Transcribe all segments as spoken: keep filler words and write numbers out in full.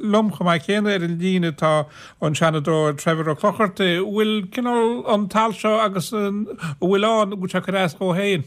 liom chomh maith céanna ar an líne tá an Seanadóir Trevor Ó Clochartaigh. Bhfuil cineál an t-alt seo agus an bhfuil ann, bhfuil sé ag cur as dhó féin?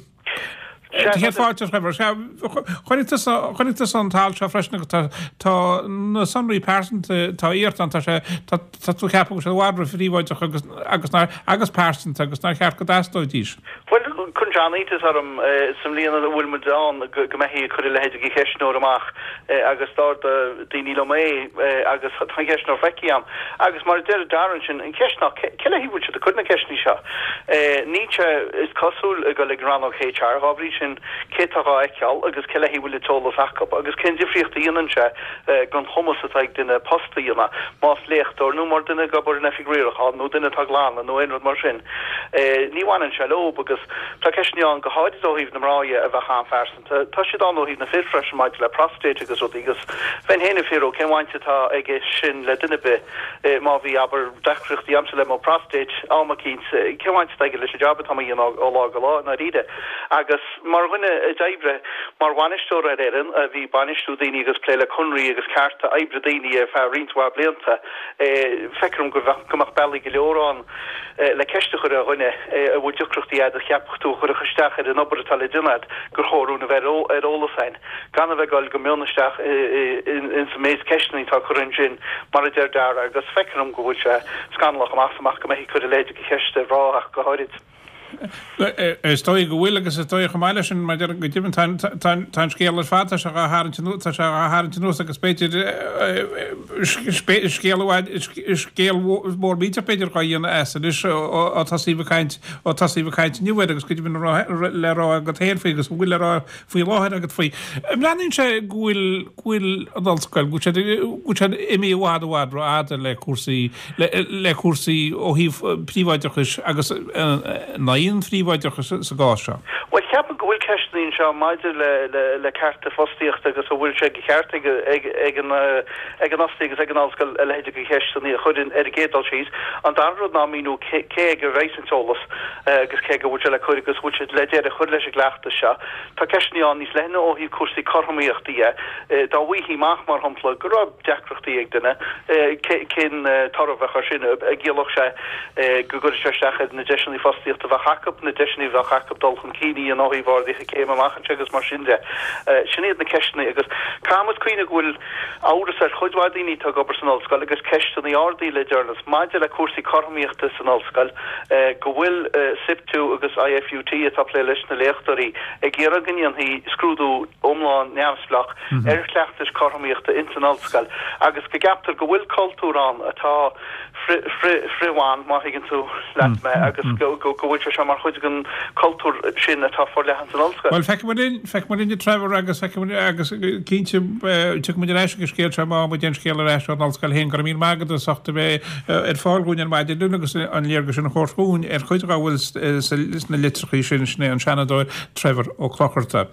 Céad fáilte, Trevor. Chonaic tusa chonaic tusa an t-alt seo freisin agus tá tá na sonraí pearsanta tá iarrta ann, tá sé tá tá tú ag ceapadh go bhfuil sé i bhfad róphríobháideach agus agus nár agus pearsanta agus nár cheart go dteastóidís. Bhuel, cuireann sé an-iontas orm sa mbliain a bhfuil muid ann go go mbeifí ag cur a leithéid de cheistneoir amach agus d'ordaigh daoine liom é agus tá an ceistneoir feicthe agam. Agus mar a deir Darren sin, an cheist ná cé le haghaidh a bhfuil siad ag cur na ceisteanna seo? Níl sé, is cosúil, ag dul ag an rannóg H R, dhá bhrí sin cé atá dhá fheiceáil agus cé le haghaidh a bhfuil an t-eolas acu agus cén difríocht a dhéanann sé don chumas atá ag duine post a dhéanamh, más léachtóir nó mar duine ag obair in oifig riaracháin nó duine atá ag glanadh nó aon rud mar sin. Ní bhaineann sé leob agus tá ceisteanna ann go háirid ó thaobh na mná dhe a bheadh an-phearsanta. Tá siad ann ó thaobh na fir freisin maidir le prostate agus rudaí agus bheinn féin ag fiafraí cén bhaint atá aige sin le duine ar bith má bhí, abair, deacrachtaí agamsa le mo prostate am eicínt, cén bhaint atá aige leis an jab atá mé a dhéanamh ó lá go lá i ndáiríre. Agus mar dhuine a d'oibrigh mar bhainisteoir ar fhoireann, a bhí ag bainistiú daoine agus plé le conraí agus cearta oibre daoine ar feadh roinnt mhaith blianta, feictear dom go bheadh, go mbeadh bealaí go leor ann le ceist a chur ar dhuine a bhfuil deacrachtaí agat a cheapfadh tú a chuirfeadh isteach ar an obair atá le déanamh agat, gur chóir dúinn a bheith ar eolas againn, gan a bheith ag dul go mion isteach ins an méid ceisteanna atá curtha ansin, mar a deir Dara, agus feictear dom go bhfuil sé scannalach amach is amach go mbeifí ag cur a leithéid de cheist ar mhná ach go háirid. Is dóigh go bhfuil agus is dóigh chomh maith leis sin, mar go deimhin tá an scéal ar fad, tá sé dhá tharraingt tá sé dhá tharraingt anuas agus b'fhéidir scéal scéal mór millteach b'fhéidir dhá dhéanamh as anois ó tosaíodh ag caint ó tosaíodh ag caint inniu air agus go deimhin le rá agat féin faoi agus bhfuil le rá faoi láthair agat faoi. Breathnaíonn sé go bhfuil go bhfuil an ollscoil, go bhfuil siad go bhfuil siad imithe i bhfad i bhfad rófhada le cúrsaí le cúrsaí ó thaobh príobháideachais agus in aghaidh an phríobháideachais sa gcás seo. Bhuel, ceapaim go bhfuil ceisteanna anseo maidir le le le cearta fostaíochta agus an bhfuil sé de cheart ag ag ag an ag an fhostaí agus ag an ollscoil a leithéid de cheisteanna a chur ar an gcéad dul síos. An dara rud ná míniú cé cé aige a bheidh an t-eolas agus cé aige a bhfuil sé le cur agus bhfuil sé le deireadh a chur leis an gcleachtas seo. Tá ceisteanna ann níos leithne ó thaobh cúrsaí cothromaíochta dhe. Dá bhfaighfí amach, mar shampla, go raibh deacrachtaí ag duine, cén toradh a bheadh air sin? An gciallódh sé go gcuirfeadh sé isteach ar na deiseanna fostaíochta a bheadh acu, na deiseanna a bheadh acu dul chun cinn a dhéanamh ó thaobh arduithe céime amach anseo agus mar sin de? Sin iad na ceisteanna agus caithfidh muid cuimhneamh go bhfuil amhras ar chuid mhaith daoine atá ag obair san ollscoil agus ceisteanna ardaithe le deireanas maidir le cúrsaí cothromaíochta san ollscoil, go bhfuil SIPTU agus I F U T atá ag plé leis na léachtóirí ag iarraidh go ndéanfaí scrúdú iomlán neamhspleách ar chleachtais cothromaíochta ins an ollscoil agus go gceaptar go bhfuil cultúr ann atá frith-bhan, má thuigeann tú leat mé, agus go bhfuil sé seo mar chuid den cultúr sin atá forleathan san ollscoil. Bhuel, feicfidh muid linn, feicfidh muid linn a Trevor agus feicfidh muid agus cinnte tiocfaidh muid ar ais ag an scéal seo má muid aon scéal ar ais ón ollscoil féin. Go raibh míle maith agat as ucht a bheith ar fáil dhúinn ar maidin inniu agus an léargas sin a thabhairt dhúinn ar chuid dá bhfuil sna litreacha sin, sin é an Seanadóir Trevor Ó Clochartaigh.